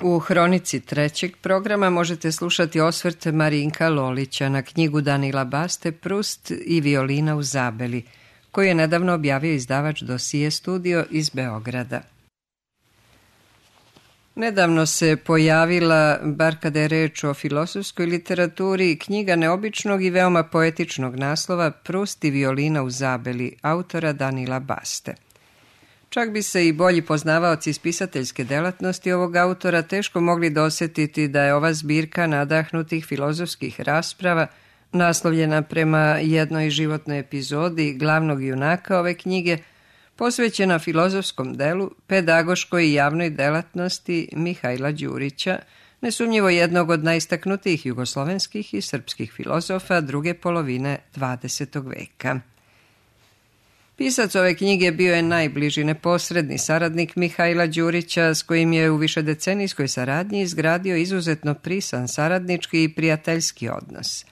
U hronici trećeg programa možete slušati osvrt Marinka Lolića na knjigu Danila Baste Prust i violina u Zabeli, koju je nedavno objavio izdavač Dosije studio iz Beograda. Nedavno se pojavila, bar kada je reč o filozofskoj literaturi, knjiga neobičnog i veoma poetičnog naslova Prust i violina u Zabeli, autora Danila Baste. Čak bi se i bolji poznavaoci spisateljske delatnosti ovog autora teško mogli dosjetiti da je ova zbirka nadahnutih filozofskih rasprava, naslovljena prema jednoj životnoj epizodi glavnog junaka ove knjige, posvećena filozofskom delu, pedagoškoj i javnoj delatnosti Mihajla Đurića, nesumnjivo jednog od najistaknutijih jugoslovenskih i srpskih filozofa druge polovine 20. veka. Pisac ove knjige bio je najbliži neposredni saradnik Mihajla Đurića, s kojim je u višedecenijskoj saradnji izgradio izuzetno prisan saradnički i prijateljski odnos.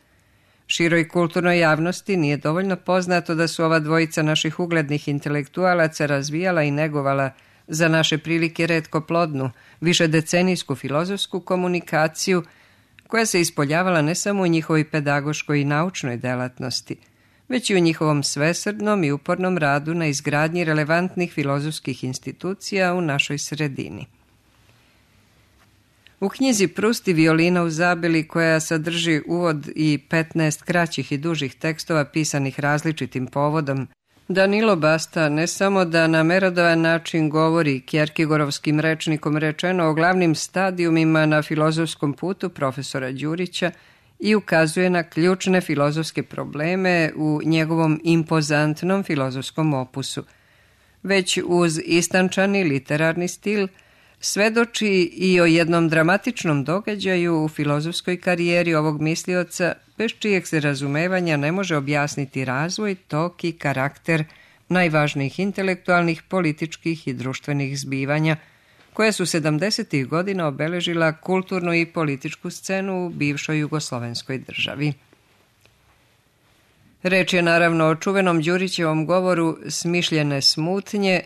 Široj kulturnoj javnosti nije dovoljno poznato da su ova dvojica naših uglednih intelektualaca razvijala i negovala za naše prilike retko plodnu, višedecenijsku filozofsku komunikaciju, koja se ispoljavala ne samo u njihovoj pedagoškoj i naučnoj delatnosti, već i u njihovom svesrdnom i upornom radu na izgradnji relevantnih filozofskih institucija u našoj sredini. U knjizi Prust i violina u Zabeli, koja sadrži uvod i 15 kraćih i dužih tekstova pisanih različitim povodom, Danilo Basta ne samo da na merodavan način govori kjerkegorovskim rečnikom rečeno o glavnim stadijumima na filozofskom putu profesora Đurića i ukazuje na ključne filozofske probleme u njegovom impozantnom filozofskom opusu, već uz istančani literarni stil svedoči i o jednom dramatičnom događaju u filozofskoj karijeri ovog mislioca, bez čijeg se razumevanja ne može objasniti razvoj, tok i karakter najvažnijih intelektualnih, političkih i društvenih zbivanja, koja su 70. godina obeležila kulturnu i političku scenu u bivšoj jugoslovenskoj državi. Reč je naravno o čuvenom Đurićevom govoru Smišljene smutnje,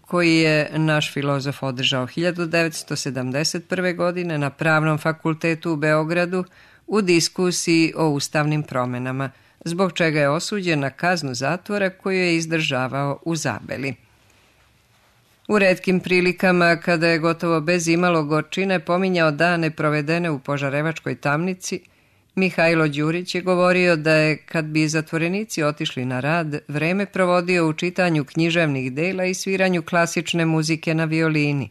koji je naš filozof održao 1971. godine na Pravnom fakultetu u Beogradu u diskusiji o ustavnim promenama, zbog čega je osuđen na kaznu zatvora koju je izdržavao u Zabeli. U retkim prilikama, kada je gotovo bez imalo gorčine pominjao dane provedene u Požarevačkoj tamnici, Mihajlo Đurić je govorio da je, kad bi zatvorenici otišli na rad, vreme provodio u čitanju književnih dela i sviranju klasične muzike na violini.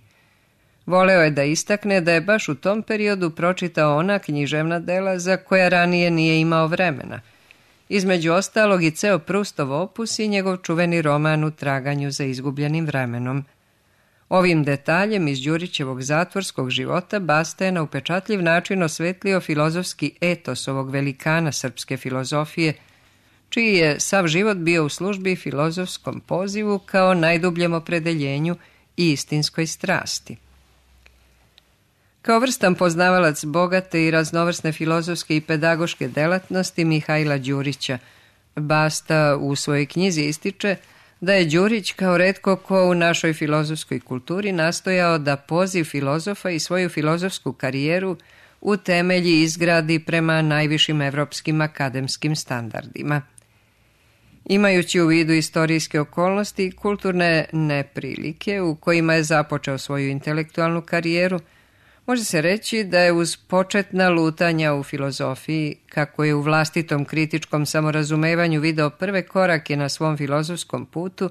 Voleo je da istakne da je baš u tom periodu pročitao ona književna dela za koja ranije nije imao vremena. Između ostalog i ceo Prustov opus i njegov čuveni roman U traganju za izgubljenim vremenom. Ovim detaljem iz Đurićevog zatvorskog života Basta je na upečatljiv način osvetlio filozofski etos ovog velikana srpske filozofije, čiji je sav život bio u službi filozofskom pozivu kao najdubljem opredeljenju i istinskoj strasti. Kao vrstan poznavalac bogate i raznovrsne filozofske i pedagoške delatnosti Mihajla Đurića, Basta u svojoj knjizi ističe da je Đurić kao retko ko u našoj filozofskoj kulturi nastojao da poziv filozofa i svoju filozofsku karijeru u temelji izgradi prema najvišim evropskim akademskim standardima. Imajući u vidu istorijske okolnosti i kulturne neprilike u kojima je započeo svoju intelektualnu karijeru, može se reći da je uz početna lutanja u filozofiji, kako je u vlastitom kritičkom samorazumevanju video prve korake na svom filozofskom putu,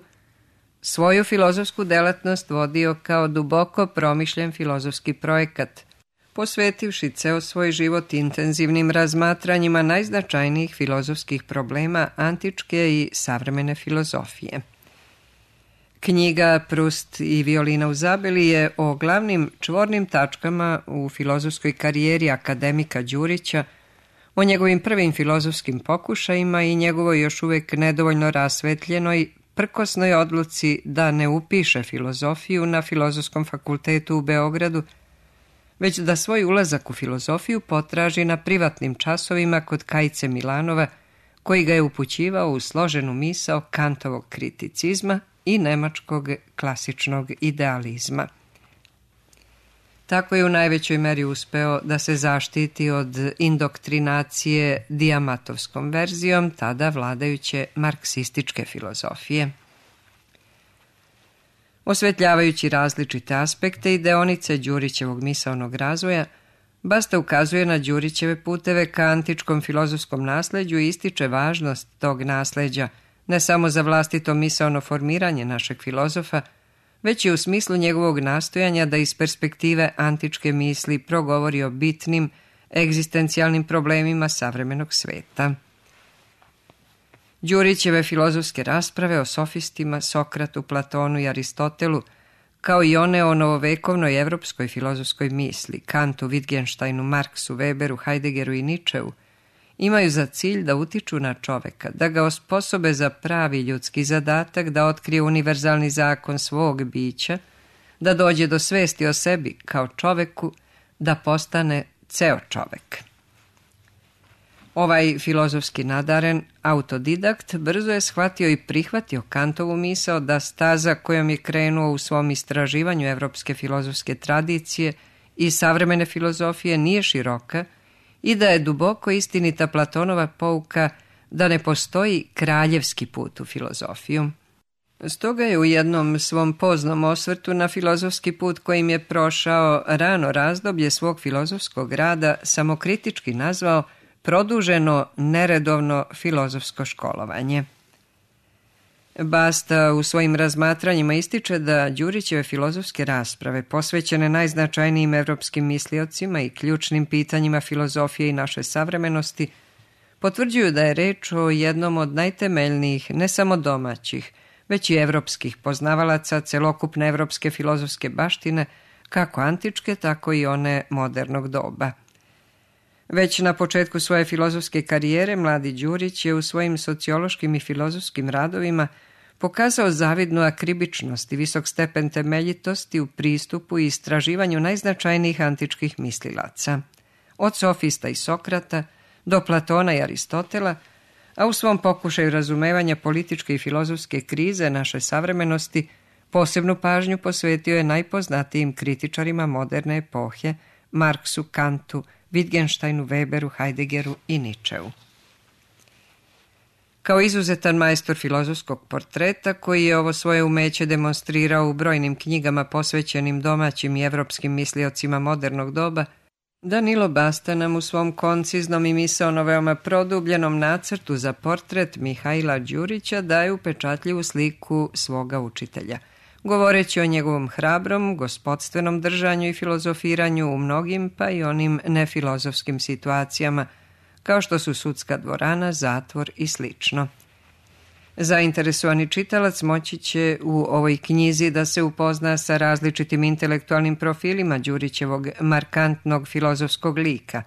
svoju filozofsku delatnost vodio kao duboko promišljen filozofski projekat, posvetivši ceo svoj život intenzivnim razmatranjima najznačajnijih filozofskih problema antičke i savremene filozofije. Knjiga Prust i violina u Zabeli je o glavnim čvornim tačkama u filozofskoj karijeri akademika Đurića, o njegovim prvim filozofskim pokušajima i njegovoj još uvek nedovoljno rasvetljenoj, prkosnoj odluci da ne upiše filozofiju na Filozofskom fakultetu u Beogradu, već da svoj ulazak u filozofiju potraži na privatnim časovima kod Kajice Milanova, koji ga je upućivao u složenu misao Kantovog kriticizma i nemačkog klasičnog idealizma. Tako je u najvećoj meri uspeo da se zaštiti od indoktrinacije Dijamatovskom verzijom tada vladajuće marksističke filozofije. Osvetljavajući različite aspekte i deonice Đurićevog misaonog razvoja, Basta ukazuje na Đurićeve puteve ka antičkom filozofskom nasleđu i ističe važnost tog nasleđa ne samo za vlastito misaono formiranje našeg filozofa, već i u smislu njegovog nastojanja da iz perspektive antičke misli progovori o bitnim, egzistencijalnim problemima savremenog sveta. Đurićeve filozofske rasprave o sofistima, Sokratu, Platonu i Aristotelu, kao i one o novovekovnoj evropskoj filozofskoj misli, Kantu, Wittgensteinu, Marksu, Weberu, Heideggeru i Nietzscheu, imaju za cilj da utiču na čoveka, da ga osposobe za pravi ljudski zadatak, da otkrije univerzalni zakon svog bića, da dođe do svesti o sebi kao čoveku, da postane ceo čovek. Ovaj filozofski nadaren autodidakt brzo je shvatio i prihvatio Kantovu misao da staza kojom je krenuo u svom istraživanju evropske filozofske tradicije i savremene filozofije nije široka i da je duboko istinita Platonova pouka da ne postoji kraljevski put u filozofiju. Stoga je u jednom svom poznom osvrtu na filozofski put kojim je prošao rano razdoblje svog filozofskog rada samokritički nazvao produženo neredovno filozofsko školovanje. Basta u svojim razmatranjima ističe da Đurićeve filozofske rasprave posvećene najznačajnijim evropskim misliocima i ključnim pitanjima filozofije i naše savremenosti potvrđuju da je reč o jednom od najtemeljnijih, ne samo domaćih, već i evropskih poznavalaca celokupne evropske filozofske baštine, kako antičke, tako i one modernog doba. Već na početku svoje filozofske karijere mladi Đurić je u svojim sociološkim i filozofskim radovima pokazao zavidnu akribičnost i visok stepen temeljitosti u pristupu i istraživanju najznačajnijih antičkih mislilaca, od sofista i Sokrata do Platona i Aristotela, a u svom pokušaju razumevanja političke i filozofske krize naše savremenosti posebnu pažnju posvetio je najpoznatijim kritičarima moderne epohe, Marksu, Kantu, Wittgensteinu, Weberu, Heideggeru i Nietzscheu. Kao izuzetan majstor filozofskog portreta, koji je ovo svoje umeće demonstrirao u brojnim knjigama posvećenim domaćim i evropskim misliocima modernog doba, Danilo Basta nam u svom konciznom i misaono veoma produbljenom nacrtu za portret Mihaila Đurića daje upečatljivu sliku svoga učitelja, govoreći o njegovom hrabrom, gospodstvenom držanju i filozofiranju u mnogim, pa i onim nefilozofskim situacijama, kao što su sudska dvorana, zatvor i slično. Zainteresovani čitalac moći će u ovoj knjizi da se upozna sa različitim intelektualnim profilima Đurićevog markantnog filozofskog lika.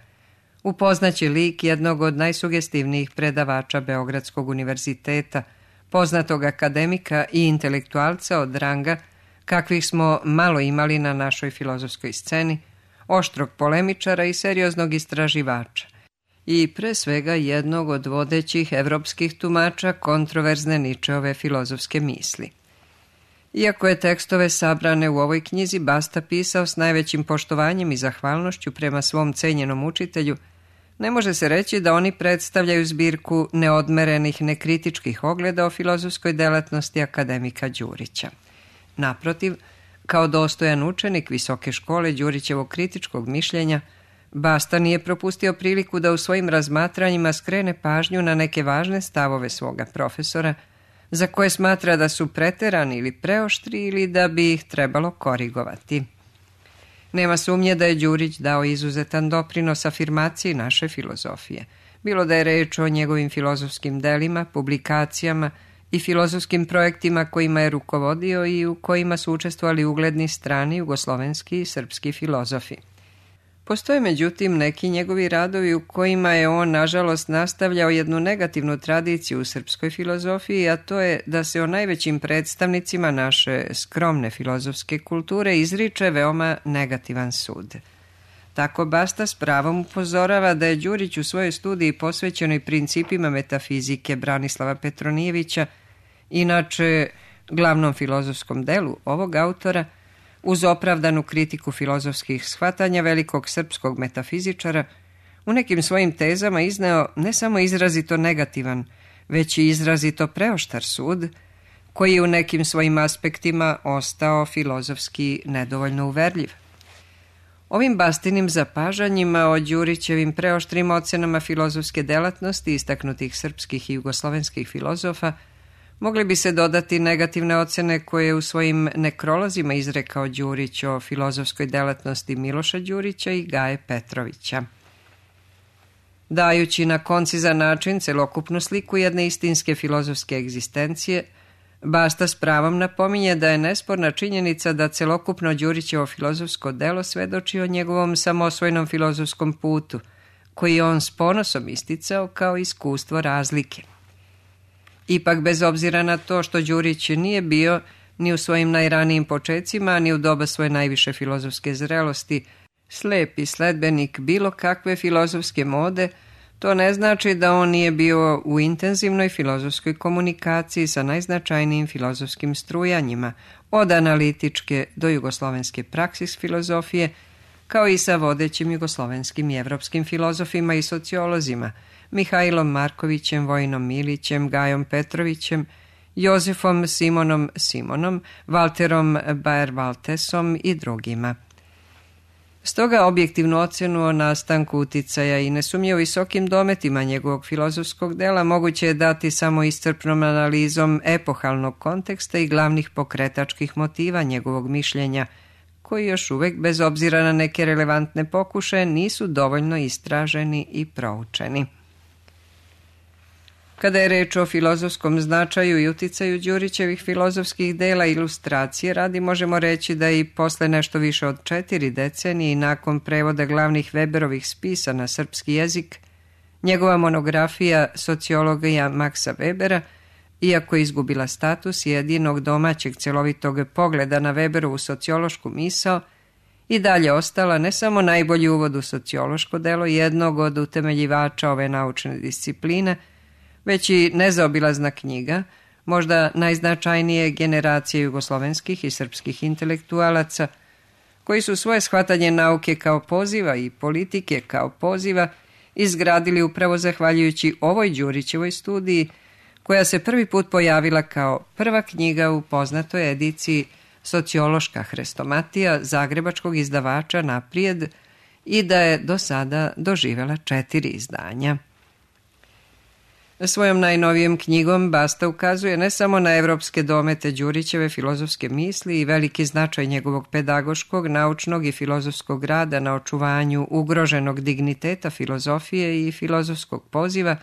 Upoznaće lik jednog od najsugestivnijih predavača Beogradskog univerziteta, poznatog akademika i intelektualca od ranga kakvih smo malo imali na našoj filozofskoj sceni, oštrog polemičara i serioznog istraživača, i pre svega jednog od vodećih evropskih tumača kontroverzne Nietzscheove filozofske misli. Iako je tekstove sabrane u ovoj knjizi Basta pisao s najvećim poštovanjem i zahvalnošću prema svom cenjenom učitelju, ne može se reći da oni predstavljaju zbirku neodmerenih, nekritičkih ogleda o filozofskoj delatnosti akademika Đurića. Naprotiv, kao dostojan učenik visoke škole Đurićevog kritičkog mišljenja, Basta nije propustio priliku da u svojim razmatranjima skrene pažnju na neke važne stavove svoga profesora, za koje smatra da su preterani ili preoštri ili da bi ih trebalo korigovati. Nema sumnje da je Đurić dao izuzetan doprinos afirmaciji naše filozofije, bilo da je reč o njegovim filozofskim delima, publikacijama i filozofskim projektima kojima je rukovodio i u kojima su učestvovali ugledni strani jugoslovenski i srpski filozofi. Postoje međutim neki njegovi radovi u kojima je on nažalost nastavljao jednu negativnu tradiciju u srpskoj filozofiji, a to je da se o najvećim predstavnicima naše skromne filozofske kulture izriče veoma negativan sud. Tako Basta s pravom upozorava da je Đurić u svojoj studiji posvećenoj principima metafizike Branislava Petronijevića, inače glavnom filozofskom delu ovog autora, uz opravdanu kritiku filozofskih shvatanja velikog srpskog metafizičara, u nekim svojim tezama izneo ne samo izrazito negativan, već i izrazito preoštar sud, koji je u nekim svojim aspektima ostao filozofski nedovoljno uverljiv. Ovim Bastinim zapažanjima o Đurićevim preoštrim ocenama filozofske delatnosti istaknutih srpskih i jugoslovenskih filozofa mogli bi se dodati negativne ocene koje je u svojim nekrolozima izrekao Đurić o filozofskoj delatnosti Miloša Đurića i Gaje Petrovića. Dajući na koncizan način celokupnu sliku jedne istinske filozofske egzistencije, Basta s pravom napominje da je nesporna činjenica da celokupno Đurićevo filozofsko delo svedoči o njegovom samosvojnom filozofskom putu, koji je on s ponosom isticao kao iskustvo razlike. Ipak, bez obzira na to što Đurić nije bio ni u svojim najranijim počecima, ni u doba svoje najviše filozofske zrelosti slepi sledbenik bilo kakve filozofske mode, to ne znači da on nije bio u intenzivnoj filozofskoj komunikaciji sa najznačajnijim filozofskim strujanjima, od analitičke do jugoslovenske praksis filozofije, kao i sa vodećim jugoslovenskim i evropskim filozofima i sociolozima, Mihajlom Markovićem, Vojinom Milićem, Gajom Petrovićem, Jozefom Simonom, Valterom Baer-Valtesom i drugima. Stoga objektivnu ocenu o nastanku uticaja i nesumnjivo visokim dometima njegovog filozofskog dela moguće je dati samo iscrpnom analizom epohalnog konteksta i glavnih pokretačkih motiva njegovog mišljenja, koji još uvek, bez obzira na neke relevantne pokušaje, nisu dovoljno istraženi i proučeni. Kada je reč o filozofskom značaju i uticaju Đurićevih filozofskih dela ilustracije radi, možemo reći da i posle nešto više od 4 decenije i nakon prevoda glavnih Weberovih spisa na srpski jezik, njegova monografija Sociologija Maksa Webera, iako je izgubila status jedinog domaćeg celovitog pogleda na Weberovu sociološku misao, i dalje ostala ne samo najbolji uvod u sociološko delo jednog od utemeljivača ove naučne discipline, već i nezaobilazna knjiga, možda najznačajnije generacije jugoslovenskih i srpskih intelektualaca, koji su svoje shvatanje nauke kao poziva i politike kao poziva izgradili upravo zahvaljujući ovoj Đurićevoj studiji, koja se prvi put pojavila kao prva knjiga u poznatoj ediciji Sociološka hrestomatija zagrebačkog izdavača Naprijed i da je do sada doživela 4 izdanja. Svojom najnovijom knjigom Basta ukazuje ne samo na evropske domete Đurićeve filozofske misli i veliki značaj njegovog pedagoškog, naučnog i filozofskog rada na očuvanju ugroženog digniteta filozofije i filozofskog poziva,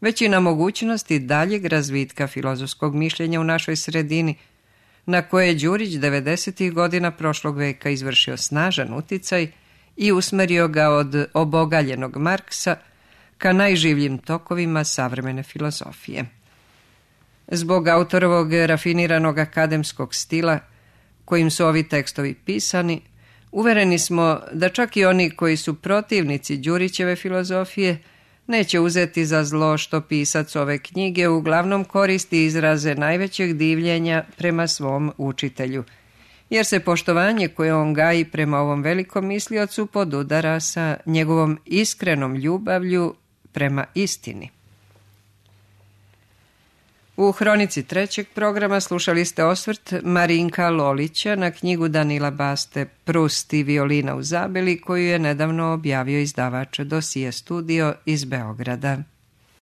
već i na mogućnosti daljeg razvitka filozofskog mišljenja u našoj sredini, na koje je Đurić 90. godina prošlog veka izvršio snažan uticaj i usmerio ga od obogaljenog Marksa ka najživljim tokovima savremene filozofije. Zbog autorovog rafiniranog akademskog stila, kojim su ovi tekstovi pisani, uvereni smo da čak i oni koji su protivnici Đurićeve filozofije neće uzeti za zlo što pisac ove knjige uglavnom koristi izraze najvećeg divljenja prema svom učitelju, jer se poštovanje koje on gaji prema ovom velikom misliocu podudara sa njegovom iskrenom ljubavlju prema istini. U hronici 3. programa slušali ste osvrt Marinka Lolića na knjigu Danila Baste Prust i violina u Zabeli, koju je nedavno objavio izdavač Dosije studio iz Beograda.